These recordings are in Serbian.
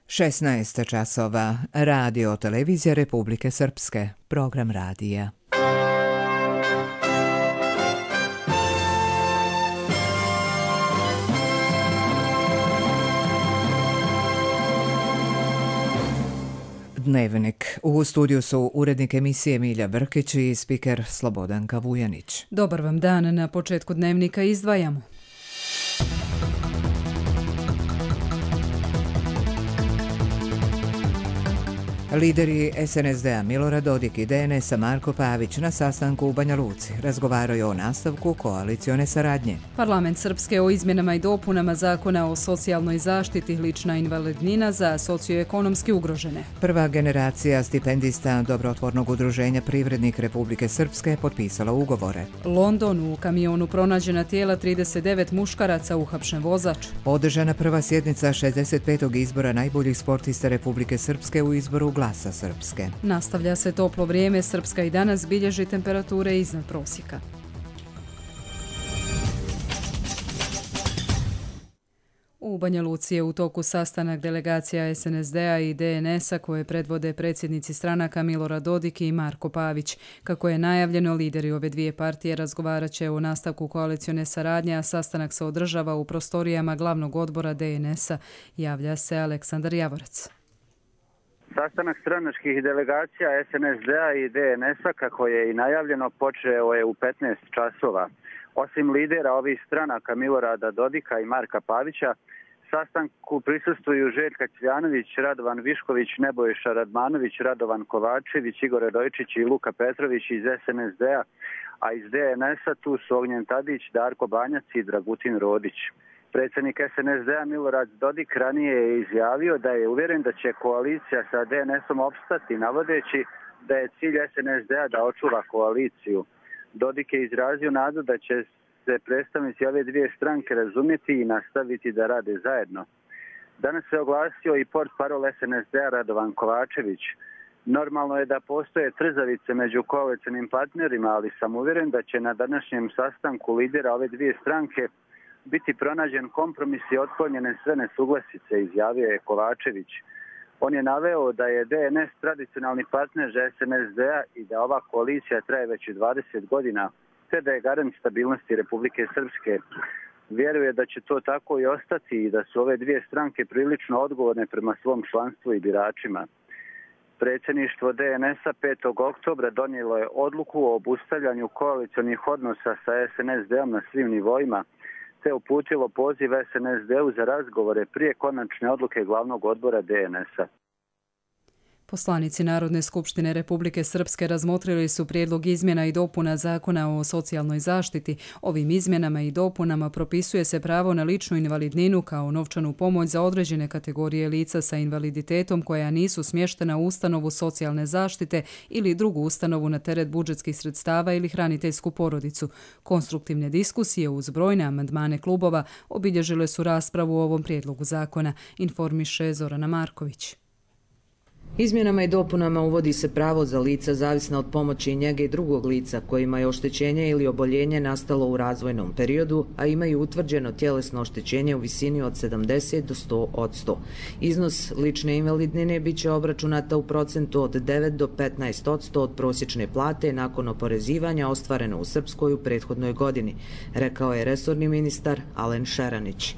16 časova. Radio televizija Republike Srpske. Program radija. Dnevnik. U studiju su urednik emisije Milja Brkić i spiker Slobodanka Vujanić. Dobar vam dan. Na početku dnevnika izdvajamo. Lideri SNSD-a Milorad Dodik i DNS-a Marko Pavić na sastanku u Banja Luci razgovaraju o nastavku koalicione saradnje. Parlament Srpske o izmjenama i dopunama zakona o socijalnoj zaštiti, lična invalidnina za socioekonomski ugrožene. Prva generacija stipendista Dobrotvornog udruženja Privrednik Republike Srpske potpisala ugovore. London, u kamionu pronađena tijela 39 muškaraca, uhapšen vozač. Održana prva sjednica 65. izbora najboljih sportista Republike Srpske u izboru Glasa Srpske. Nastavlja se toplo vrijeme. Srpska i danas bilježi temperature iznad prosjeka. U Banja Luci je u toku sastanak delegacija SNSD-a i DNS-a koje predvode predsjednici stranaka Milorad Dodik i Marko Pavić. Kako je najavljeno, lideri ove dvije partije razgovarat će o nastavku koalicione saradnje, a sastanak se održava u prostorijama glavnog odbora DNS-a. Javlja se Aleksandar Javorac. Sastanak stranačkih delegacija SNSD-a i DNS-a, kako je i najavljeno, počeo je u 15 časova. Osim lidera ovih stranaka Milorada Dodika i Marka Pavića, sastanku prisustvuju Željka Cvjanović, Radovan Višković, Nebojša Radmanović, Radovan Kovačević, Igor Radojčić i Luka Petrović iz SNSD-a, a iz DNS-a tu su Ognjen Tadić, Darko Banjac i Dragutin Rodić. Predsjednik SNSD-a Milorad Dodik ranije je izjavio da je uvjeren da će koalicija sa DNS-om opstati, navodeći da je cilj SNSD-a da očuva koaliciju. Dodik je izrazio nadu da će se predstavnici ove dvije stranke razumjeti i nastaviti da rade zajedno. Danas se oglasio i portparol SNSD-a Radovan Kovačević. Normalno je da postoje trzavice među koalicionim partnerima, ali sam uvjeren da će na današnjem sastanku lidera ove dvije stranke biti pronađen kompromis i otklonjene sve nesuglasice, izjavio je Kovačević. On je naveo da je DNS tradicionalni partner SNSD-a i da ova koalicija traje već 20 godina, te da je garant stabilnosti Republike Srpske. Vjeruje da će to tako i ostati i da su ove dvije stranke prilično odgovorne prema svom članstvu i biračima. Predsjedništvo DNS-a 5. oktobra donijelo je odluku o obustavljanju koalicionih odnosa sa SNSD-om na svim nivoima, te uputilo poziv SNSD-u za razgovore prije konačne odluke glavnog odbora DNS-a. Poslanici Narodne skupštine Republike Srpske razmotrili su prijedlog izmjena i dopuna zakona o socijalnoj zaštiti. Ovim izmjenama i dopunama propisuje se pravo na ličnu invalidninu kao novčanu pomoć za određene kategorije lica sa invaliditetom koja nisu smještena u ustanovu socijalne zaštite ili drugu ustanovu na teret budžetskih sredstava ili hraniteljsku porodicu. Konstruktivne diskusije uz brojne amandmane klubova obilježile su raspravu o ovom prijedlogu zakona, informiše Zorana Marković. Izmjenama i dopunama uvodi se pravo za lica zavisna od pomoći i njege i drugog lica kojima je oštećenje ili oboljenje nastalo u razvojnom periodu, a imaju utvrđeno tjelesno oštećenje u visini od 70 do 100%. Iznos lične invalidnine bit će obračunata u procentu od 9 do 15% od prosječne plate nakon oporezivanja ostvareno u Srpskoj u prethodnoj godini, rekao je resorni ministar Alen Šeranić.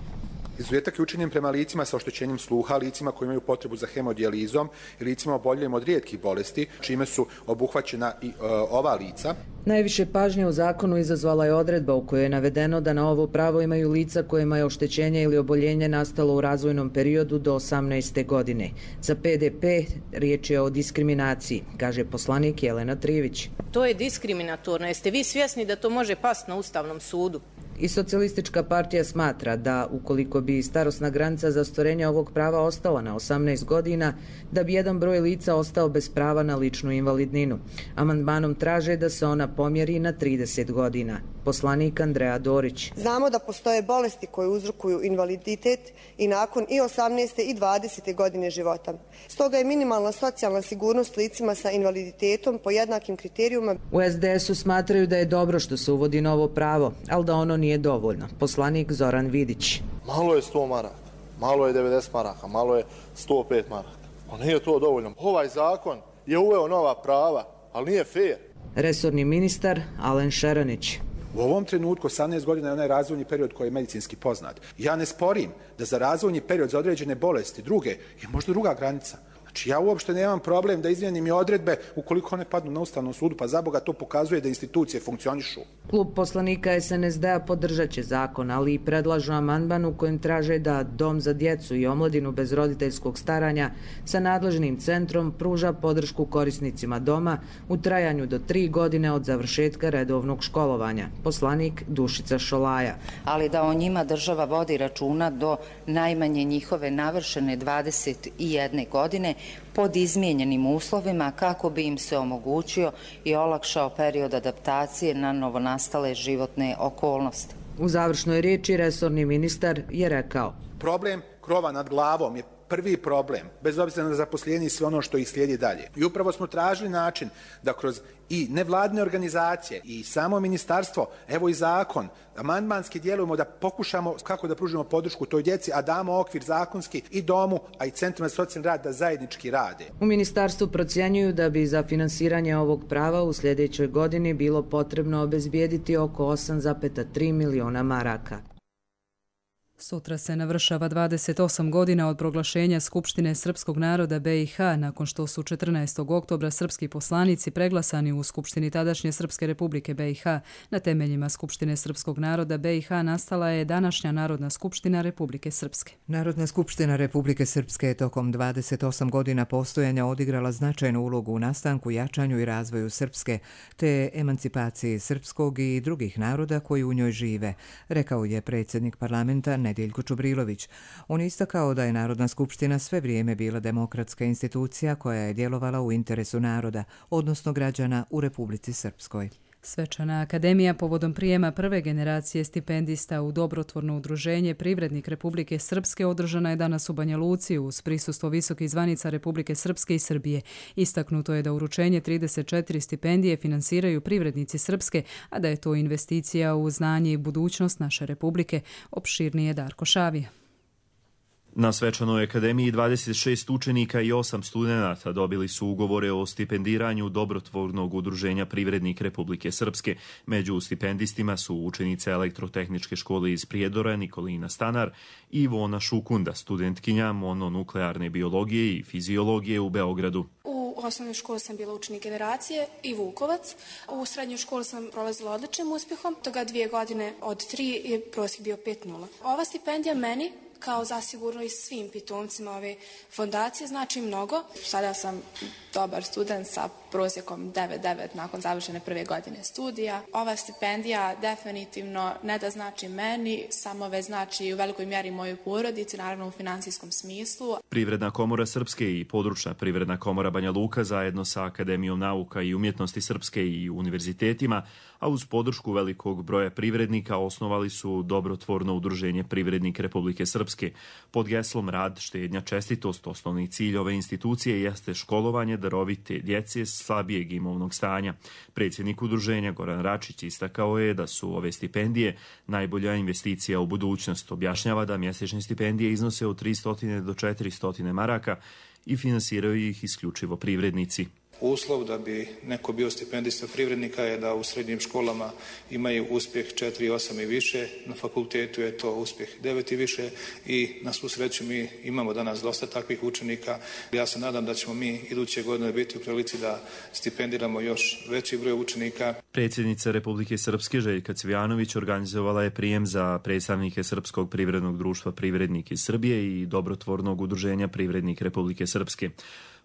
Izuzetak je učinjen prema licima sa oštećenjem sluha, licima koji imaju potrebu za hemodijelizom i licima oboljelim od rijetkih bolesti, čime su obuhvaćena i ova lica. Najviše pažnje u zakonu izazvala je odredba u kojoj je navedeno da na ovo pravo imaju lica kojima je oštećenje ili oboljenje nastalo u razvojnom periodu do 18. godine. Za PDP riječ je o diskriminaciji, kaže poslanik Jelena Trivić. To je diskriminatorno. Jeste vi svjesni da to može pasti na Ustavnom sudu? I Socijalistička partija smatra da ukoliko bi starosna granica za ostvarenje ovog prava ostala na 18 godina, da bi jedan broj lica ostao bez prava na ličnu invalidninu. Amandmanom traže da se ona pomjeri na 30 godina. Poslanik Andreja Dorić. Znamo da postoje bolesti koje uzrokuju invaliditet i nakon i 18. i 20. godine života. Stoga je minimalna socijalna sigurnost licima sa invaliditetom po jednakim kriterijuma. U SDS-u smatraju da je dobro što se uvodi novo pravo, ali da ono nije dovoljno. Poslanik Zoran Vidić. Malo je 100 maraka. malo je 90 maraka, malo je 105 maraka. Pa nije to dovoljno. Ovaj zakon je uveo nova prava, ali nije fair. Resorni ministar Alen Šeranić. U ovom trenutku 18 godina je onaj razvojni period koji je medicinski poznat. Ja ne sporim da za razvojni period za određene bolesti druge je možda druga granica. Znači ja uopšte nemam problem da izmijenim i odredbe ukoliko one padnu na Ustavnom sudu, pa za Boga to pokazuje da institucije funkcionišu. Klub poslanika SNSD-a podržat će zakon, ali i predlažu amandman u kojem traže da Dom za djecu i omladinu bez roditeljskog staranja sa nadležnim centrom pruža podršku korisnicima doma u trajanju do 3 godine od završetka redovnog školovanja. Poslanik Dušica Šolaja. Ali da o njima država vodi računa do najmanje njihove navršene 21 godine pod izmijenjenim uslovima kako bi im se omogućio i olakšao period adaptacije na novonastale životne okolnosti. U završnoj riječi resorni ministar je rekao: problem krova nad glavom je prvi problem, bez obzira na zaposlenje i sve ono što ih slijedi dalje. I upravo smo tražili način da kroz i nevladine organizacije i samo ministarstvo, evo i zakon, amandmanski djelujemo da pokušamo kako da pružimo podršku toj djeci, a damo okvir zakonski i domu, a i centrima za socijalni rad da zajednički rade. U ministarstvu procjenjuju da bi za finansiranje ovog prava u sljedećoj godini bilo potrebno obezbijediti oko 8,3 miliona maraka. Sutra se navršava 28 godina od proglašenja Skupštine srpskog naroda BiH, nakon što su 14. oktobra srpski poslanici preglasani u Skupštini tadašnje Srpske republike BiH. Na temeljima Skupštine srpskog naroda BiH nastala je današnja Narodna skupština Republike Srpske. Narodna skupština Republike Srpske je tokom 28 godina postojanja odigrala značajnu ulogu u nastanku, jačanju i razvoju Srpske, te emancipaciji srpskog i drugih naroda koji u njoj žive, rekao je predsjednik parlamenta Nedeljko Čubrilović. On je istakao da je Narodna skupština sve vrijeme bila demokratska institucija koja je djelovala u interesu naroda, odnosno građana u Republici Srpskoj. Svečana akademija povodom prijema prve generacije stipendista u dobrotvorno udruženje Privrednik Republike Srpske održana je danas u Banja Luci uz prisustvo visokih zvanica Republike Srpske i Srbije. Istaknuto je da uručenje 34 stipendije finansiraju privrednici Srpske, a da je to investicija u znanje i budućnost naše Republike. Opširnije Darko Šavija. Na svečanoj akademiji 26 učenika i 8 studenata dobili su ugovore o stipendiranju dobrotvornog udruženja Privrednik Republike Srpske. Među stipendistima su učenice Elektrotehničke škole iz Prijedora Nikolina Stanar i Ivona Šukunda, studentkinja mononuklearne biologije i fiziologije u Beogradu. U osnovnoj školi sam bila učenik generacije i Vukovac. U srednjoj školi sam prolazila odličnim uspjehom. Toga 2 godine od 3 je prosjek bio 5,0. Ova stipendija meni, kao zasigurno i svim pitomcima ove fondacije, znači mnogo. Sada sam dobar student sa prosjekom 9,9 nakon završene prve godine studija. Ova stipendija definitivno ne da znači meni, samo već znači u velikoj mjeri mojoj porodici, naravno u finansijskom smislu. Privredna komora Srpske i područna Privredna komora Banja Luka zajedno sa Akademijom nauka i umjetnosti Srpske i univerzitetima, a uz podršku velikog broja privrednika osnovali su dobrotvorno udruženje Privrednik Republike Srpske. Pod geslom Rad, štednja, čestitost, osnovni cilj ove institucije jeste školovanje darovite djece slabijeg imovnog stanja. Predsjednik udruženja Goran Račić istakao je da su ove stipendije najbolja investicija u budućnost. Objašnjava da mjesečne stipendije iznose od 300 do 400 maraka i finansiraju ih isključivo privrednici. Uslov da bi neko bio stipendista privrednika je da u srednjim školama imaju uspjeh 4,8 i više, na fakultetu je to uspjeh 9 i više i na svu sreću mi imamo danas dosta takvih učenika. Ja se nadam da ćemo mi iduće godine biti u prilici da stipendiramo još veći broj učenika. Predsjednica Republike Srpske Željka Cvijanović organizovala je prijem za predstavnike Srpskog privrednog društva Privrednik iz Srbije i dobrotvornog udruženja Privrednik Republike Srpske.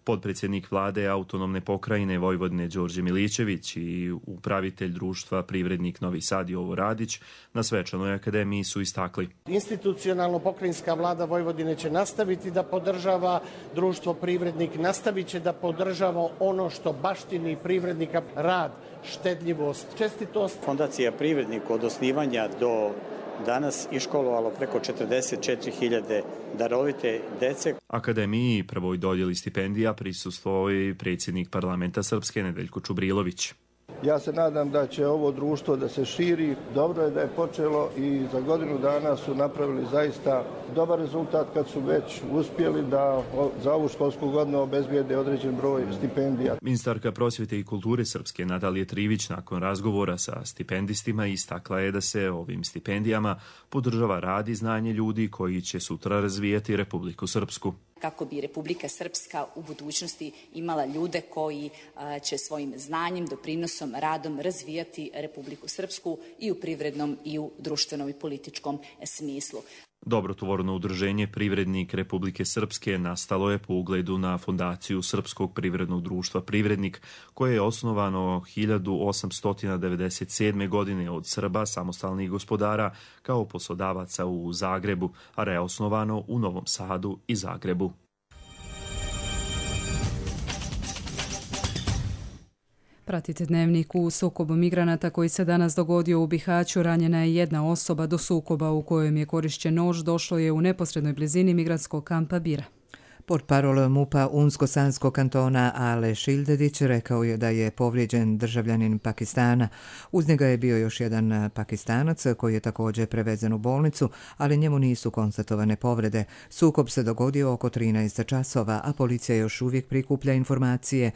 Podpredsjednik vlade autonomne pokrajine Vojvodine Đorđe Milićević i upravitelj društva Privrednik Novi Sad Jovo Radić na svečanoj akademiji su istakli. Institucionalno pokrajinska vlada Vojvodine će nastaviti da podržava društvo Privrednik, nastavit će da podržava ono što baštini privrednika, rad, štedljivost, čestitost. Fondacija Privrednik od osnivanja do danas iškolovalo preko 44.000 darovite dece. Akademiji prvoj dodjeli stipendija prisustvovao je predsjednik parlamenta Srpske Nedeljko Čubrilović. Ja se nadam da će ovo društvo da se širi. Dobro je da je počelo i za godinu dana su napravili zaista dobar rezultat kad su već uspjeli da za ovu školsku godinu obezbijede određen broj stipendija. Ministarka prosvjete i kulture srpske Natalija Trivić nakon razgovora sa stipendistima istakla je da se ovim stipendijama podržava rad i znanje ljudi koji će sutra razvijati Republiku Srpsku. Kako bi Republika Srpska u budućnosti imala ljude koji će svojim znanjem, doprinosom, radom razvijati Republiku Srpsku i u privrednom i u društvenom i političkom smislu. Dobrotvorno udruženje Privrednik Republike Srpske nastalo je po ugledu na fondaciju Srpskog privrednog društva Privrednik, koje je osnovano 1897. godine od Srba samostalnih gospodara kao poslodavaca u Zagrebu, a reosnovano u Novom Sadu i Zagrebu. Pratite Dnevnik. U sukobu migranata koji se danas dogodio u Bihaću ranjena je jedna osoba. Do sukoba u kojem je korišćen nož došlo je u neposrednoj blizini migrantskog kampa Bira. Portparol MUP-a Unsko-Sanskog kantona Ale Šildedić rekao je da je povrijeđen državljanin Pakistana. Uz njega je bio još jedan Pakistanac koji je također prevezen u bolnicu, ali njemu nisu konstatovane povrede. Sukob se dogodio oko 13 časova, a policija još uvijek prikuplja informacije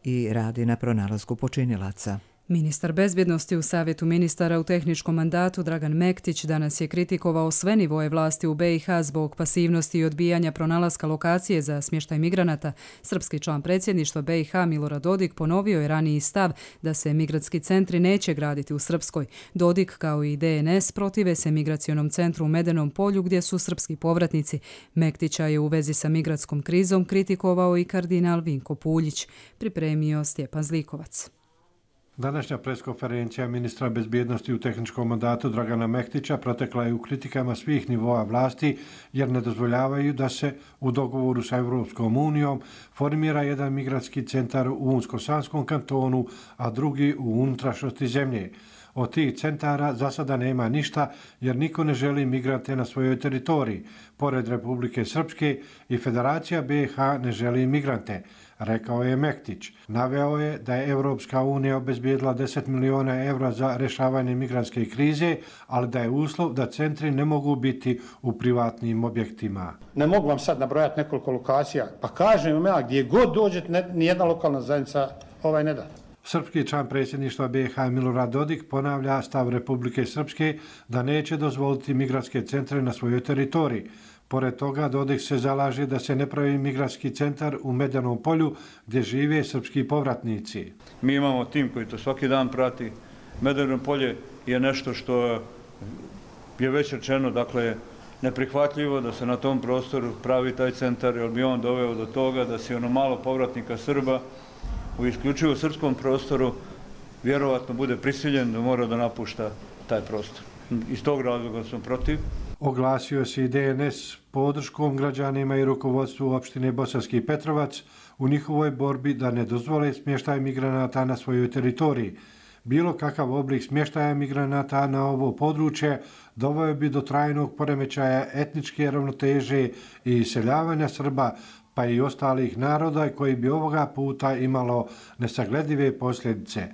i radi na pronalasku počinilaca. Ministar bezbjednosti u Savjetu ministara u tehničkom mandatu Dragan Mektić danas je kritikovao sve nivoje vlasti u BiH zbog pasivnosti i odbijanja pronalaska lokacije za smještaj migranata. Srpski član predsjedništva BiH Milorad Dodik ponovio je raniji stav da se migrantski centri neće graditi u Srpskoj. Dodik kao i DNS protive se migracionom centru u Medenom polju gdje su srpski povratnici. Mektića je u vezi sa migrantskom krizom kritikovao i kardinal Vinko Puljić. Pripremio Stjepan Zlikovac. Današnja preskonferencija ministra bezbjednosti u tehničkom mandatu Dragana Mektića protekla je u kritikama svih nivoa vlasti jer ne dozvoljavaju da se u dogovoru sa Europskom unijom formira jedan migrantski centar u Unsko-Sanskom kantonu, a drugi u unutrašnjosti zemlje. Od tih centara za sada nema ništa jer niko ne želi migrante na svojoj teritoriji. Pored Republike Srpske i Federacija BiH ne želi migrante, rekao je Mektić. Naveo je da je Europska unija obezbijedila 10 miliona evra za rješavanje migrantske krize, ali da je uslov da centri ne mogu biti u privatnim objektima. Ne mogu vam sad nabrojati nekoliko lokacija, pa kažem vam ja, gdje god dođete, nijedna lokalna zajednica ne da. Srpski član predsjedništva BiH Milorad Dodik ponavlja stav Republike Srpske da neće dozvoliti migrantske centre na svojoj teritoriji. Pored toga, Dodik se zalaže da se ne pravi migrantski centar u Medenom polju gdje žive srpski povratnici. Mi imamo tim koji to svaki dan prati. Medeno polje je nešto što je već rečeno, dakle, neprihvatljivo da se na tom prostoru pravi taj centar, jer bi on doveo do toga da se ono malo povratnika Srba u isključivo srpskom prostoru vjerovatno bude prisiljen da mora da napušta taj prostor. Iz tog razloga sam protiv. Oglasio se i DNS podrškom građanima i rukovodstvu opštine Bosanski Petrovac u njihovoj borbi da ne dozvole smještaj migranata na svojoj teritoriji. Bilo kakav oblik smještaja migranata na ovo područje doveo bi do trajnog poremećaja etničke ravnoteže i iseljavanja Srba, pa i ostalih naroda koji bi ovoga puta imalo nesagledive posljedice,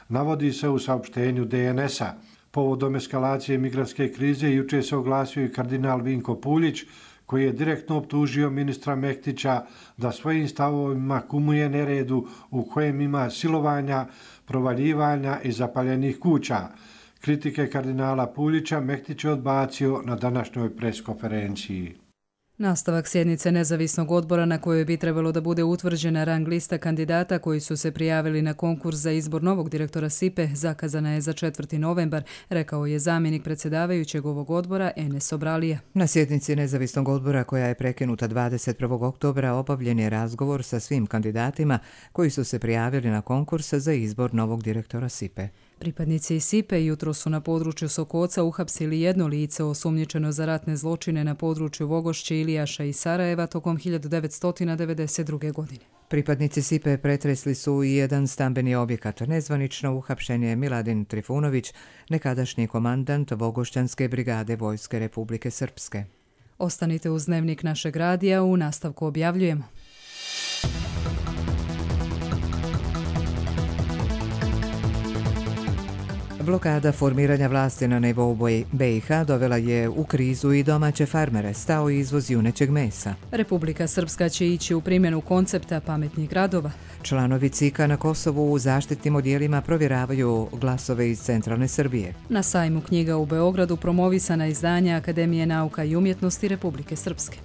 navodi se u saopštenju DNS-a. Povodom eskalacije migrantske krize juče se oglasio i kardinal Vinko Puljić, koji je direktno optužio ministra Mektića da svojim stavovima kumuje neredu u kojem ima silovanja, provaljivanja i zapaljenih kuća. Kritike kardinala Puljića Mektić je odbacio na današnjoj preskonferenciji. Nastavak sjednice nezavisnog odbora na kojoj bi trebalo da bude utvrđena rang lista kandidata koji su se prijavili na konkurs za izbor novog direktora SIPE zakazana je za 4. novembar, rekao je zamjenik predsjedavajućeg ovog odbora Enes Obralija. Na sjednici nezavisnog odbora koja je prekinuta 21. oktobra obavljen je razgovor sa svim kandidatima koji su se prijavili na konkurs za izbor novog direktora SIPE. Pripadnici SIPE jutro su na području Sokoca uhapsili jedno lice osumnjičeno za ratne zločine na području Vogošće, Ilijaša i Sarajeva tokom 1992. godine. Pripadnici SIPE pretresli su i jedan stambeni objekat. Nezvanično uhapšen je Miladin Trifunović, nekadašnji komandant Vogošćanske brigade Vojske Republike Srpske. Ostanite uz Dnevnik našeg radija, u nastavku objavljujemo. Blokada formiranja vlasti na nivou BiH dovela je u krizu i domaće farmere, stao izvoz junećeg mesa. Republika Srpska će ići u primjenu koncepta pametnih gradova. Članovi CIK-a na Kosovu u zaštitnim odjelima provjeravaju glasove iz centralne Srbije. Na sajmu knjiga u Beogradu promovisana izdanja Akademije nauka i umjetnosti Republike Srpske.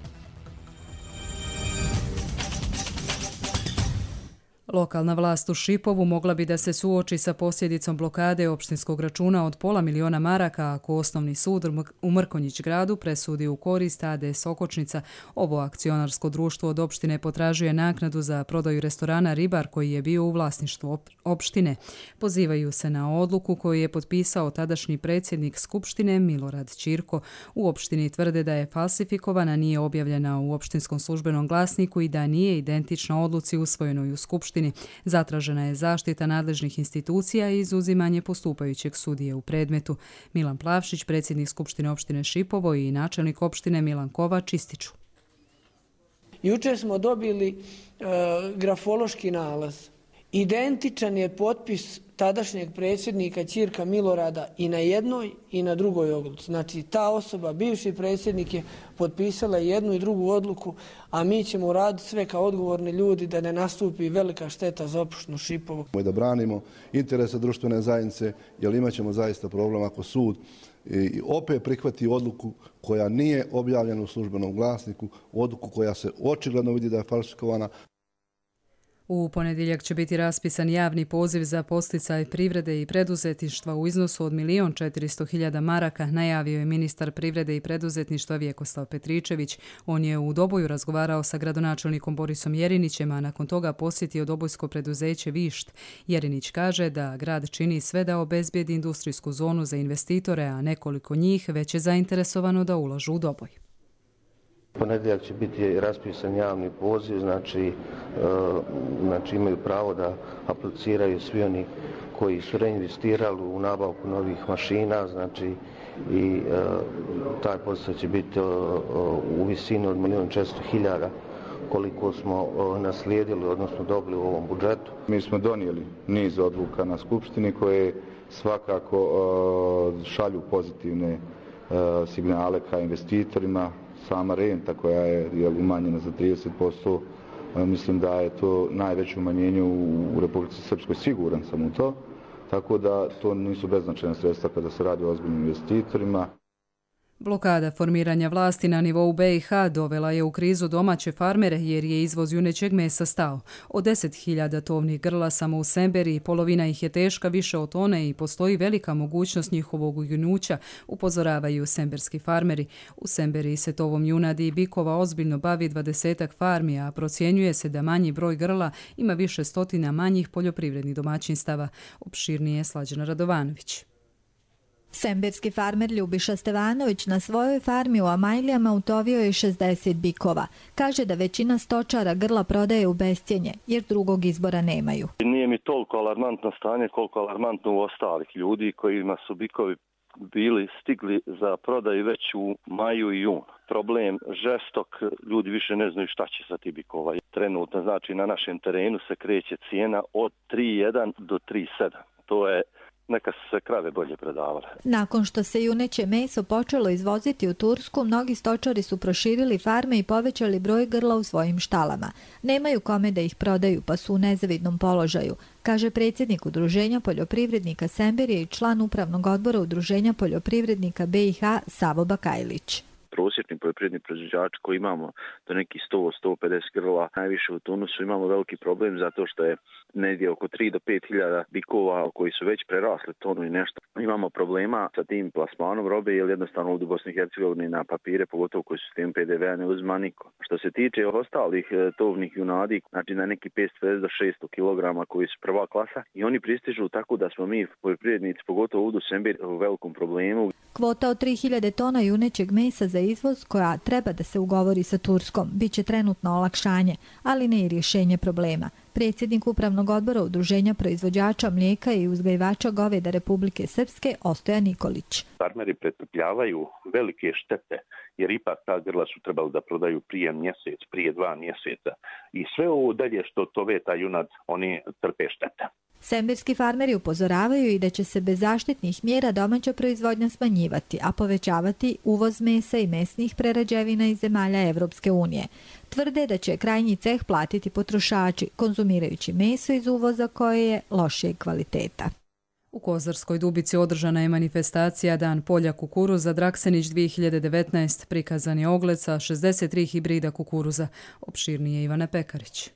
Lokalna vlast u Šipovu mogla bi da se suoči sa posljedicom blokade opštinskog računa od $500.000 maraka ako osnovni sud u Mrkonjić gradu presudi u korist AD Sokočnica. Ovo akcionarsko društvo od opštine potražuje naknadu za prodaju restorana Ribar koji je bio u vlasništvu opštine. Pozivaju se na odluku koju je potpisao tadašnji predsjednik Skupštine Milorad Ćirko. U opštini tvrde da je falsifikovana, nije objavljena u opštinskom službenom glasniku i da nije identična odluci usvojenoj u Skupštini. Zatražena je zaštita nadležnih institucija i izuzimanje postupajućeg sudije u predmetu. Milan Plavšić, predsjednik Skupštine opštine Šipovo i načelnik opštine Milan Kovač ističu. Jučer smo dobili grafološki nalaz. Identičan je potpis tadašnjeg predsjednika Ćirka Milorada i na jednoj i na drugoj odluci. Znači, ta osoba, bivši predsjednik, je potpisala jednu i drugu odluku, a mi ćemo uraditi sve kao odgovorni ljudi da ne nastupi velika šteta za opštinu Šipovo. Da branimo interese društvene zajednice, jer imat ćemo zaista problem ako sud i opet prihvati odluku koja nije objavljena u službenom glasniku, odluku koja se očigledno vidi da je falsifikovana. U ponedjeljak će biti raspisan javni poziv za podsticaj privrede i preduzetništva u iznosu od $1.400.000 maraka, najavio je ministar privrede i preduzetništva Vjekoslav Petričević. On je u Doboju razgovarao sa gradonačelnikom Borisom Jerinićem, a nakon toga posjetio dobojsko preduzeće Višt. Jerinić kaže da grad čini sve da obezbijedi industrijsku zonu za investitore, a nekoliko njih već je zainteresovano da ulažu u Doboj. Ponedjeljak će biti raspisan javni poziv, znači imaju pravo da apliciraju svi oni koji su reinvestirali u nabavku novih mašina, znači i taj posao će biti u visini od $1.400.000 koliko smo naslijedili, odnosno dobili u ovom budžetu. Mi smo donijeli niz odluka na Skupštini koje svakako šalju pozitivne signale ka investitorima. Sama renta koja je umanjena za 30%, mislim da je to najveće umanjenje u Republici Srpskoj, siguran sam u to, tako da to nisu beznačajna sredstva kada se radi o ozbiljnim investitorima. Blokada formiranja vlasti na nivou BiH dovela je u krizu domaće farmere jer je izvoz junećeg mesa stao. Od 10.000 tovnih grla samo u Semberiji, polovina ih je teška više od tone i postoji velika mogućnost njihovog ujunuća, upozoravaju semberski farmeri. U Semberiji se tovom junadi i bikova ozbiljno bavi 20 farmi, a procjenjuje se da manji broj grla ima više stotina manjih poljoprivrednih domaćinstava. Opširnije je Slađana Radovanović. Semberski farmer Ljubiša Stevanović na svojoj farmi u Amajlijama utovio je 60 bikova. Kaže da većina stočara grla prodaje u bescjenje, jer drugog izbora nemaju. Nije mi toliko alarmantno stanje koliko alarmantno u ostalih ljudi kojima su bikovi bili stigli za prodaju već u maju i junu. Problem žestok, ljudi više ne znaju šta će sa ti bikova. Trenutno, znači na našem terenu se kreće cijena od 3,1 do 3,7. To je neka su se krave bolje predavale. Nakon što se juneće meso počelo izvoziti u Tursku, mnogi stočari su proširili farme i povećali broj grla u svojim štalama. Nemaju kome da ih prodaju, pa su u nezavidnom položaju, kaže predsjednik Udruženja poljoprivrednika Semberije i član upravnog odbora Udruženja poljoprivrednika BiH Savo Bakajlić. Prosječni poljoprivredni proizvođači koji imamo do nekih 100-150 grla, najviše u Tunusu imamo veliki problem zato što je negdje oko 3 do 5 hiljada bikova koji su već prerasli tonu i nešto. Imamo problema sa tim plasmanom robe jer jednostavno u Bosni i Hercegovini na papire, pogotovo koji su s tim PDV-a ne uzma niko. Što se tiče ostalih tovnih junadi, znači na neki 550 do 600 kg koji su prva klasa i oni pristižu tako da smo mi poljoprivrednici, pogotovo u Sembir, u velikom problemu. Kvota od 3000 tona junećeg mesa za izvoz koja treba da se ugovori sa Turskom biće trenutno olakšanje, ali ne i rješenje problema. Predsjednik upravnog odbora Udruženja proizvođača mlijeka i uzgajivača goveda Republike Srpske Ostojan Nikolić. Farmeri pretrpljavaju velike štete jer ipak ta grla su trebali da prodaju prije mjesec, prije 2 mjeseca i sve ovo dalje što tove ta junad, oni trpe štete. Sembirski farmeri upozoravaju i da će se bez zaštitnih mjera domaća proizvodnja smanjivati, a povećavati uvoz mesa i mesnih prerađevina iz zemalja Evropske unije. Tvrde da će krajnji ceh platiti potrošači, konzumirajući meso iz uvoza koje je lošijeg kvaliteta. U Kozarskoj Dubici održana je manifestacija Dan polja kukuruza Draksenić 2019. Prikazan je ogled sa 63 hibrida kukuruza. Opširnije Ivana Pekarić.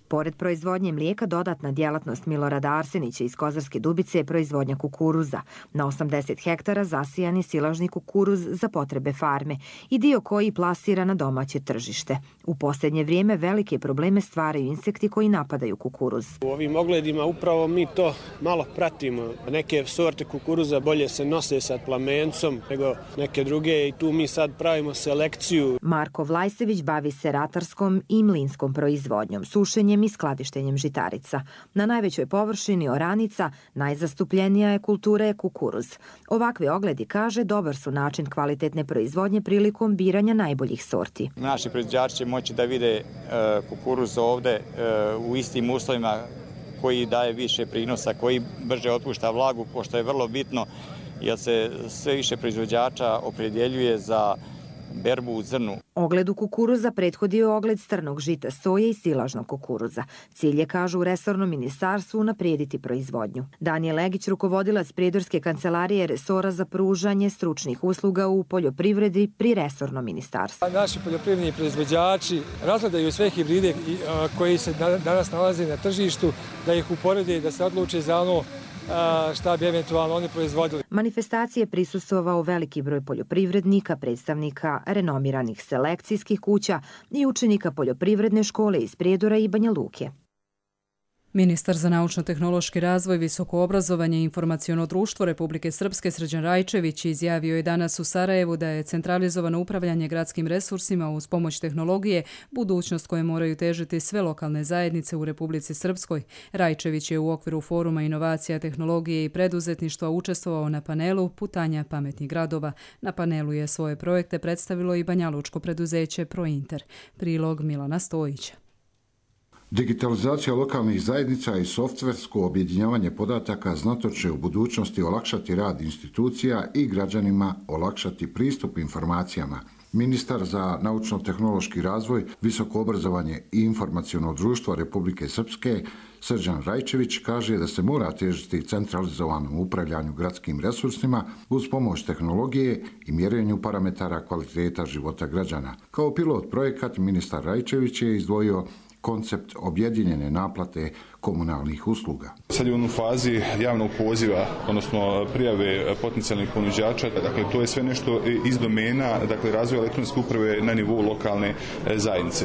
Pored proizvodnje mlijeka, dodatna djelatnost Milorada Arsenića iz Kozarske Dubice je proizvodnja kukuruza. Na 80 hektara zasijan je silažni kukuruz za potrebe farme i dio koji plasira na domaće tržište. U posljednje vrijeme velike probleme stvaraju insekti koji napadaju kukuruz. U ovim ogledima upravo mi to malo pratimo. Neke sorte kukuruza bolje se nose sa plamencom nego neke druge i tu mi sad pravimo selekciju. Marko Vlajsević bavi se ratarskom i mlinskom proizvodnjom, sušenjem i skladištenjem žitarica. Na najvećoj površini oranica najzastupljenija je kultura je kukuruz. Ovakvi ogledi, kaže, dobar su način kvalitetne proizvodnje prilikom biranja najboljih sorti. Naši proizvođači će moći da vide kukuruz ovde u istim uslovima koji daje više prinosa, koji brže otpušta vlagu, pošto je vrlo bitno jer se sve više proizvođača opredjeljuje za berbu u zrnu. Ogledu kukuruza prethodio je ogled strnog žita, soje i silažnog kukuruza. Cilj je, kažu u resornom ministarstvu, unaprijediti proizvodnju. Danijel Legić, rukovodilac Prijedorske kancelarije resora za pružanje stručnih usluga u poljoprivredi pri resornom ministarstvu. Naši poljoprivredni proizvođači razgledaju sve hibride koji se danas nalaze na tržištu, da ih uporede i da se odluče za ono šta bi eventualno oni proizvodili. Manifestacije prisustvovao veliki broj poljoprivrednika, predstavnika renomiranih selekcijskih kuća i učenika poljoprivredne škole iz Prijedora i Banja Luke. Ministar za naučno-tehnološki razvoj, visoko obrazovanje i informaciono društvo Republike Srpske Srđan Rajčević izjavio je danas u Sarajevu da je centralizovano upravljanje gradskim resursima uz pomoć tehnologije budućnost koje moraju težiti sve lokalne zajednice u Republici Srpskoj. Rajčević je u okviru Foruma inovacija, tehnologije i preduzetništva učestvovao na panelu Putanja pametnih gradova. Na panelu je svoje projekte predstavilo i banjalučko preduzeće Prointer. Prilog Milana Stojića. Digitalizacija lokalnih zajednica i softversko objedinjavanje podataka znatno će u budućnosti olakšati rad institucija i građanima olakšati pristup informacijama. Ministar za naučno-tehnološki razvoj, visoko obrazovanje i informaciono društvo Republike Srpske Srđan Rajčević kaže da se mora težiti centralizovanom upravljanju gradskim resursima uz pomoć tehnologije i mjerenju parametara kvaliteta života građana. Kao pilot projekat ministar Rajčević je izdvojio koncept objedinjene naplate komunalnih usluga. Sad je u fazi javnog poziva, odnosno prijave potencijalnih ponuđača. Dakle, to je sve nešto iz domena, dakle, razvoja elektronske uprave na nivou lokalne zajednice.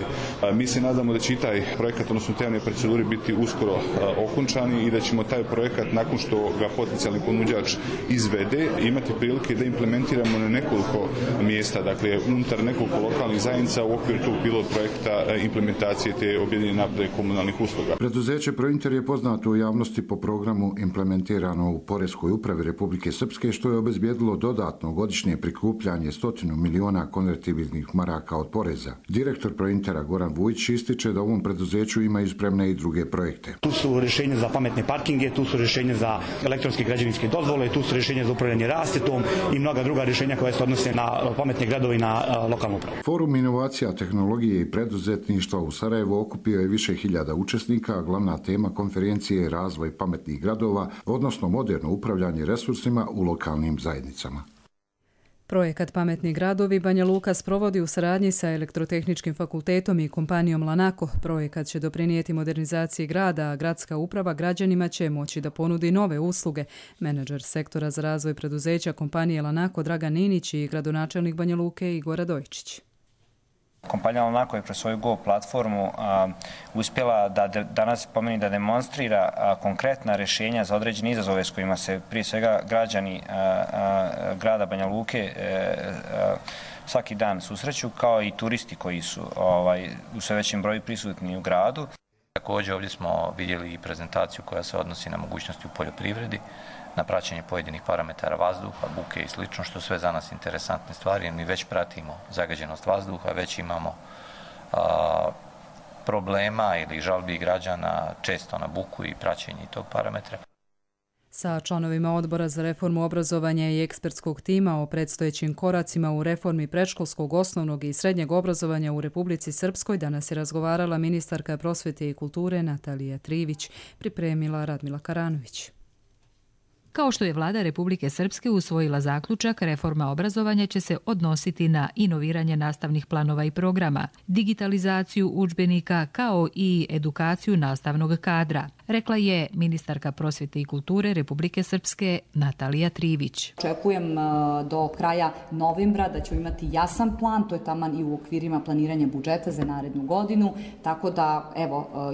Mi se nadamo da će i taj projekat, odnosno te javne procedure, biti uskoro okončani i da ćemo taj projekat, nakon što ga potencijalni ponuđač izvede, imati prilike da implementiramo na nekoliko mjesta, dakle, unutar nekoliko lokalnih zajednica u okviru tog pilot projekta implementacije te objedinjene naplate komunalnih usluga. Preduzeće Prointer je poznato u javnosti po programu implementirano u Poreskoj upravi Republike Srpske, što je obezbijedilo dodatno godišnje prikupljanje 100 miliona konvertibilnih maraka od poreza. Direktor Prointera Goran Vujić ističe da u ovom preduzeću imaju spremne i druge projekte. Tu su rješenja za pametne parkinge, tu su rješenja za elektronske građevinske dozvole, tu su rješenja za upravljanje rasvjetom i mnoga druga rješenja koja se odnose na pametne gradove i na lokalnu upravu. Forum inovacija, tehnologije i preduzetništva u Sarajevu okupio je više hiljada učesnika, a glavna tema konferencije je razvoj pametnih gradova, odnosno moderno upravljanje resursima u lokalnim zajednicama. Projekat Pametni gradovi Banja Luka sprovodi u saradnji sa Elektrotehničkim fakultetom i kompanijom Lanako. Projekat će doprinijeti modernizaciji grada, a gradska uprava građanima će moći da ponudi nove usluge. Menadžer sektora za razvoj preduzeća kompanije Lanako Dragan Ninić i gradonačelnik Banja Luke Igor Radojčić. Kompanija Lanako je kroz svoju Go platformu uspjela da danas pomeni da demonstrira konkretna rješenja za određene izazove s kojima se prije svega građani grada Banja Luke svaki dan susreću, kao i turisti koji su u sve većem broju prisutni u gradu. Također ovdje smo vidjeli i prezentaciju koja se odnosi na mogućnosti u poljoprivredi, na praćenje pojedinih parametara vazduha, buke i slično, što sve za nas interesantne stvari, jer mi već pratimo zagađenost vazduha, već imamo problema ili žalbi građana često na buku i praćenje tog parametra. Sa članovima Odbora za reformu obrazovanja i ekspertskog tima o predstojećim koracima u reformi predškolskog, osnovnog i srednjeg obrazovanja u Republici Srpskoj danas je razgovarala ministarka prosvete i kulture Natalija Trivić, pripremila Radmila Karanović. Kao što je vlada Republike Srpske usvojila zaključak, reforma obrazovanja će se odnositi na inoviranje nastavnih planova i programa, digitalizaciju udžbenika kao i edukaciju nastavnog kadra, rekla je ministarka prosvete i kulture Republike Srpske Natalija Trivić. Očekujem do kraja novembra da ćemo imati jasan plan, to je taman i u okvirima planiranja budžeta za narednu godinu, tako da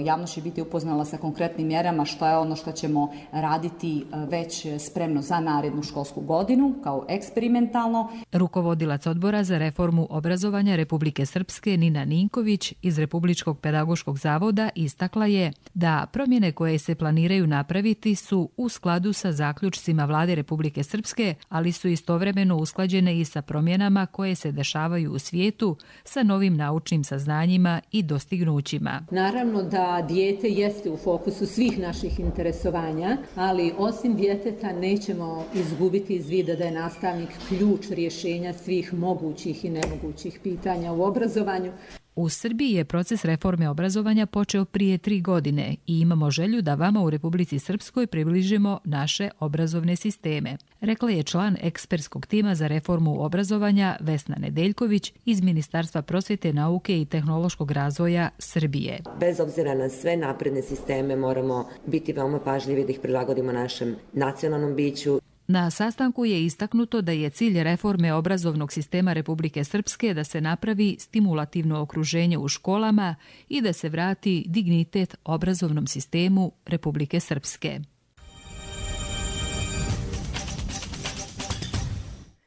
javnost će biti upoznala sa konkretnim mjerama što je ono što ćemo raditi već spremno za narednu školsku godinu kao eksperimentalno. Rukovodilac Odbora za reformu obrazovanja Republike Srpske Nina Ninković iz Republičkog pedagoškog zavoda istakla je da promjene koje se planiraju napraviti su u skladu sa zaključcima vlade Republike Srpske, ali su istovremeno usklađene i sa promjenama koje se dešavaju u svijetu, sa novim naučnim saznanjima i dostignućima. Naravno da dijete jeste u fokusu svih naših interesovanja, ali osim djeteta nećemo izgubiti iz vida da je nastavnik ključ rješenja svih mogućih i nemogućih pitanja u obrazovanju. U Srbiji je proces reforme obrazovanja počeo prije 3 godine i imamo želju da vama u Republici Srpskoj približimo naše obrazovne sisteme, rekla je član ekspertskog tima za reformu obrazovanja Vesna Nedeljković iz Ministarstva prosvete, nauke i tehnološkog razvoja Srbije. Bez obzira na sve napredne sisteme moramo biti veoma pažljivi da ih prilagodimo našem nacionalnom biću. Na sastanku je istaknuto da je cilj reforme obrazovnog sistema Republike Srpske da se napravi stimulativno okruženje u školama i da se vrati dignitet obrazovnom sistemu Republike Srpske.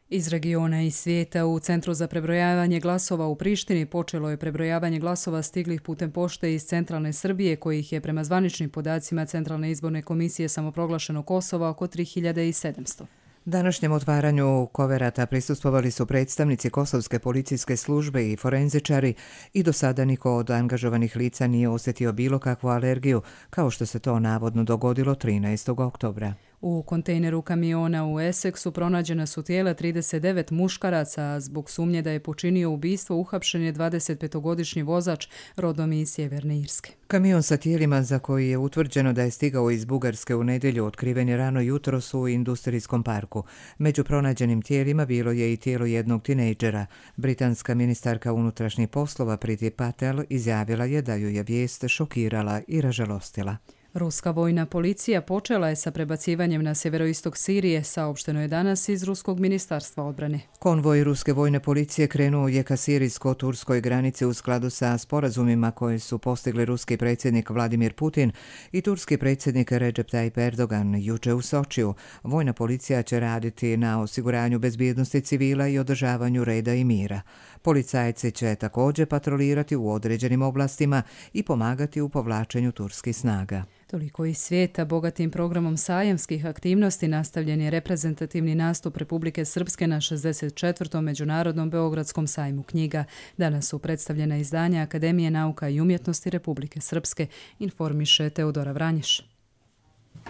Iz regiona i svijeta u Centru za prebrojavanje glasova u Prištini počelo je prebrojavanje glasova stiglih putem pošte iz centralne Srbije, kojih je prema zvaničnim podacima Centralne izborne komisije samoproglašenog Kosova oko 3700. Današnjem otvaranju koverata prisustvovali su predstavnici Kosovske policijske službe i forenzičari i do sada niko od angažovanih lica nije osjetio bilo kakvu alergiju, kao što se to navodno dogodilo 13. oktobra. U kontejneru kamiona u Essexu pronađena su tijela 39 muškaraca. Zbog sumnje da je počinio ubistvo uhapšen je 25-godišnji vozač rodom iz Sjeverne Irske. Kamion sa tijelima za koji je utvrđeno da je stigao iz Bugarske u nedjelju otkriven je rano jutros u industrijskom parku. Među pronađenim tijelima bilo je i tijelo jednog tinejdžera. Britanska ministarka unutrašnjih poslova Priti Patel izjavila je da ju je vijest šokirala i ražalostila. Ruska vojna policija počela je sa prebacivanjem na sjeveroistok Sirije, saopšteno je danas iz Ruskog ministarstva odbrane. Konvoj ruske vojne policije krenuo je ka sirijsko-turskoj granici u skladu sa sporazumima koje su postigli ruski predsjednik Vladimir Putin i turski predsjednik Recep Tayyip Erdogan juče u Sočiju. Vojna policija će raditi na osiguranju bezbjednosti civila i održavanju reda i mira. Policajci će također patrolirati u određenim oblastima i pomagati u povlačenju turskih snaga. Toliko iz svijeta. Bogatim programom sajamskih aktivnosti nastavljen je reprezentativni nastup Republike Srpske na 64. Međunarodnom Beogradskom sajmu knjiga. Danas su predstavljena izdanja Akademije nauka i umjetnosti Republike Srpske, informiše Teodora Vranješ.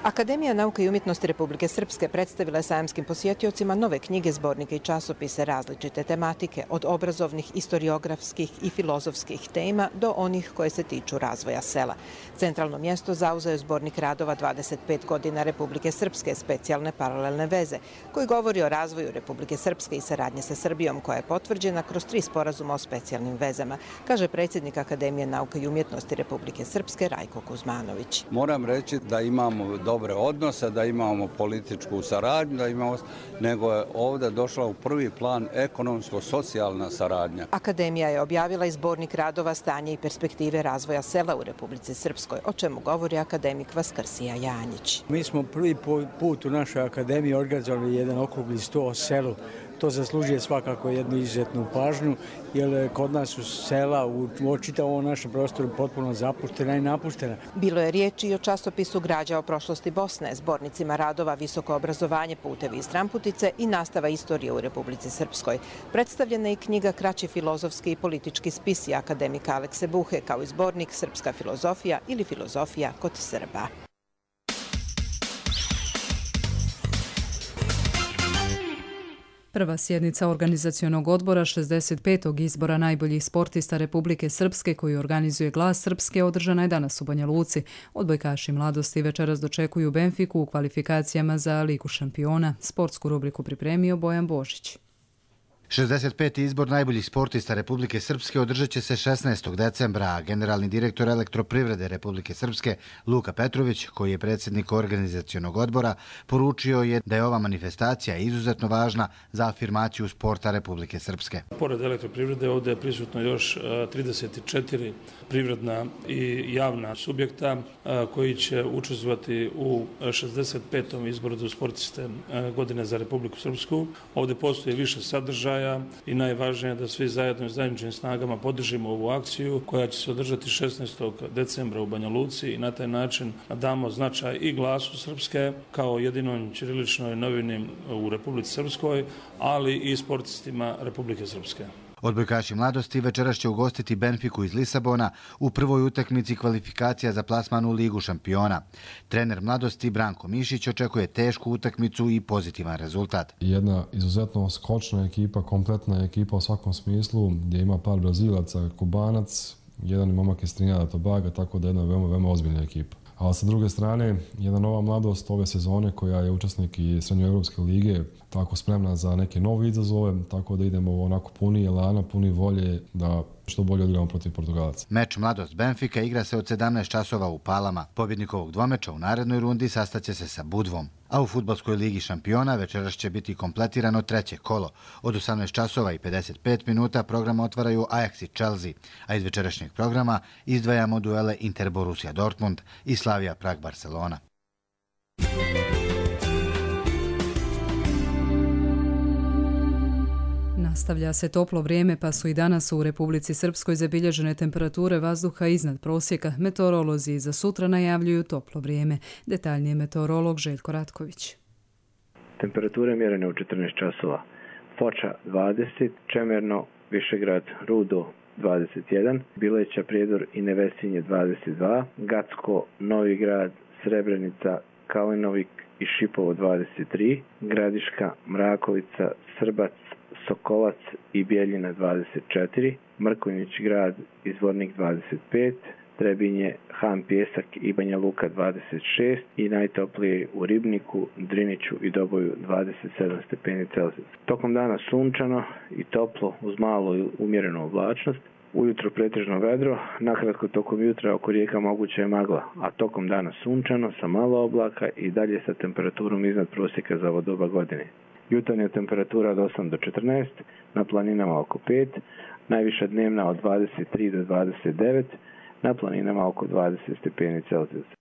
Akademija nauke i umjetnosti Republike Srpske predstavila je sajamskim posjetiocima nove knjige, zbornike i časopise različite tematike, od obrazovnih, istoriografskih i filozofskih tema do onih koje se tiču razvoja sela. Centralno mjesto zauzeo je zbornik radova 25 godina Republike Srpske, specijalne paralelne veze, koji govori o razvoju Republike Srpske i saradnje sa Srbijom, koja je potvrđena kroz 3 sporazuma o specijalnim vezama, kaže predsjednik Akademije nauke i umjetnosti Republike Srpske Rajko Kuzmanović. Moram reći da imamo dobre odnose, da imamo političku saradnju, nego je ovdje došla u prvi plan ekonomsko-socijalna saradnja. Akademija je objavila i zbornik radova Stanje i perspektive razvoja sela u Republici Srpskoj, o čemu govori akademik Vaskrsija Janjić. Mi smo prvi put u našoj akademiji organizovali jedan okrugli sto o selu. to zaslužuje svakako jednu izuzetnu pažnju, jer kod nas su sela u čitavom našem prostoru potpuno zapuštena i napuštena. Bilo je riječi i o časopisu Građa o prošlosti Bosne, zbornicima radova Visoko obrazovanje, putevi i stranputice i nastava istorije u Republici Srpskoj. Predstavljena je i knjiga Kraći filozofski i politički spisi akademika Alekse Buhe, kao i zbornik Srpska filozofija ili filozofija kod Srba. Prva sjednica organizacionog odbora 65. izbora najboljih sportista Republike Srpske koju organizuje Glas Srpske održana je danas u Banja Luci. Odbojkaši mladosti večeras dočekuju Benfiku u kvalifikacijama za Ligu šampiona. Sportsku rubriku pripremio Bojan Božić. 65. izbor najboljih sportista Republike Srpske održat će se 16. decembra, a generalni direktor Elektroprivrede Republike Srpske Luka Petrović, koji je predsjednik organizacionog odbora, poručio je da je ova manifestacija izuzetno važna za afirmaciju sporta Republike Srpske. Pored Elektroprivrede ovdje je prisutno još 34 privredna i javna subjekta koji će učestvovati u 65. izboru za sportiste godine za Republiku Srpsku. Ovdje postoji više sadržaja i najvažnije je da svi zajedno i zajedničkim snagama podržimo ovu akciju koja će se održati 16. decembra u Banja Luci i na taj način damo značaj i Glasu Srpske kao jedinoj ćiriličnoj novini u Republici Srpskoj, ali i sportistima Republike Srpske. Odbojkaši mladosti večeras će ugostiti Benfiku iz Lisabona u prvoj utakmici kvalifikacija za plasman u Ligu šampiona. Trener mladosti Branko Mišić očekuje tešku utakmicu i pozitivan rezultat. Jedna izuzetno skočna ekipa, kompletna ekipa u svakom smislu, gdje ima par Brazilaca, Kubanac, jedan momak iz Trinidada Tobaga, tako da je jedna veoma ozbiljna ekipa. A sa druge strane, jedna nova mladost ove sezone koja je učesnik i Srednjoevropske lige, tako spremna za neke nove izazove, tako da idemo onako puni elana, puni volje da što bolje odigramo protiv Portugalaca. Meč Mladost Benfika igra se od 17 časova u Palama. Pobjednik ovog dvomeča u narednoj rundi sastaće se sa Budvom. A u Fudbalskoj ligi šampiona večeras će biti kompletirano treće kolo. Od 18 časova i 55 minuta program otvaraju Ajax i Chelsea, a iz večerašnjeg programa izdvajamo duele Inter Borussia Dortmund i Slavia Prag Barcelona. Nastavlja se toplo vrijeme, pa su i danas u Republici Srpskoj zabilježene temperature vazduha iznad prosjeka. Meteorolozi za sutra najavljuju toplo vrijeme. Detaljnije meteorolog Željko Ratković. Temperature mjerene u 14 časova. Foča 20, Čemerno, Višegrad, Rudo 21, Bileća, Prijedor i Nevesinje 22, Gacko, Novi Grad, Srebrenica, Kalinovik i Šipovo 23, Gradiška, Mrakovica, Srbac, Sokolac i Bijeljina 24, Mrkonjić grad i Zvornik 25, Trebinje, Han Pjesak i Banja Luka 26 i najtoplije u Ribniku, Driniću i Doboju 27 stepeni Celzijusa. Tokom dana sunčano i toplo uz malu i umjerenu oblačnost. Ujutro pretežno vedro, nakratko tokom jutra oko rijeka moguća je magla, a tokom dana sunčano sa malo oblaka i dalje sa temperaturom iznad prosjeka za ovo doba godine. Jutarnja temperatura od 8 do 14, na planinama oko 5, najviša dnevna od 23 do 29, na planinama oko 20 stepeni Celzijusa.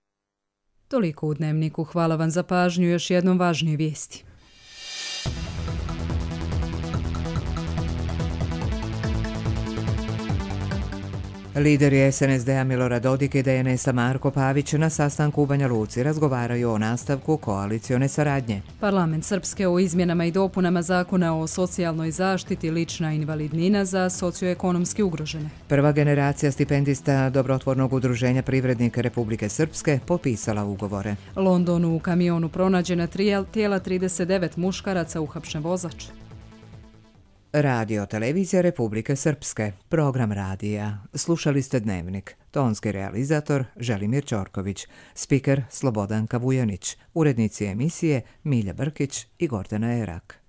Toliko u Dnevniku. Hvala vam za pažnju. Još jednom važnije vijesti. Lideri SNSD-a Milorad Dodik i DNS-a Marko Pavić na sastanku u Banja Luci razgovaraju o nastavku koalicione saradnje. Parlament Srpske o izmjenama i dopunama zakona o socijalnoj zaštiti, lična invalidnina za socioekonomski ugrožene. Prva generacija stipendista Dobrotvornog udruženja privrednika Republike Srpske potpisala ugovore. Londonu u kamionu pronađena tijela 39 muškaraca, uhapšen vozač. Radio televizija Republike Srpske, program radija. Slušali ste Dnevnik. Tonski realizator Želimir Ćorković, spiker Slobodanka Vujanić, urednici emisije Milja Brkić i Gordana Erak.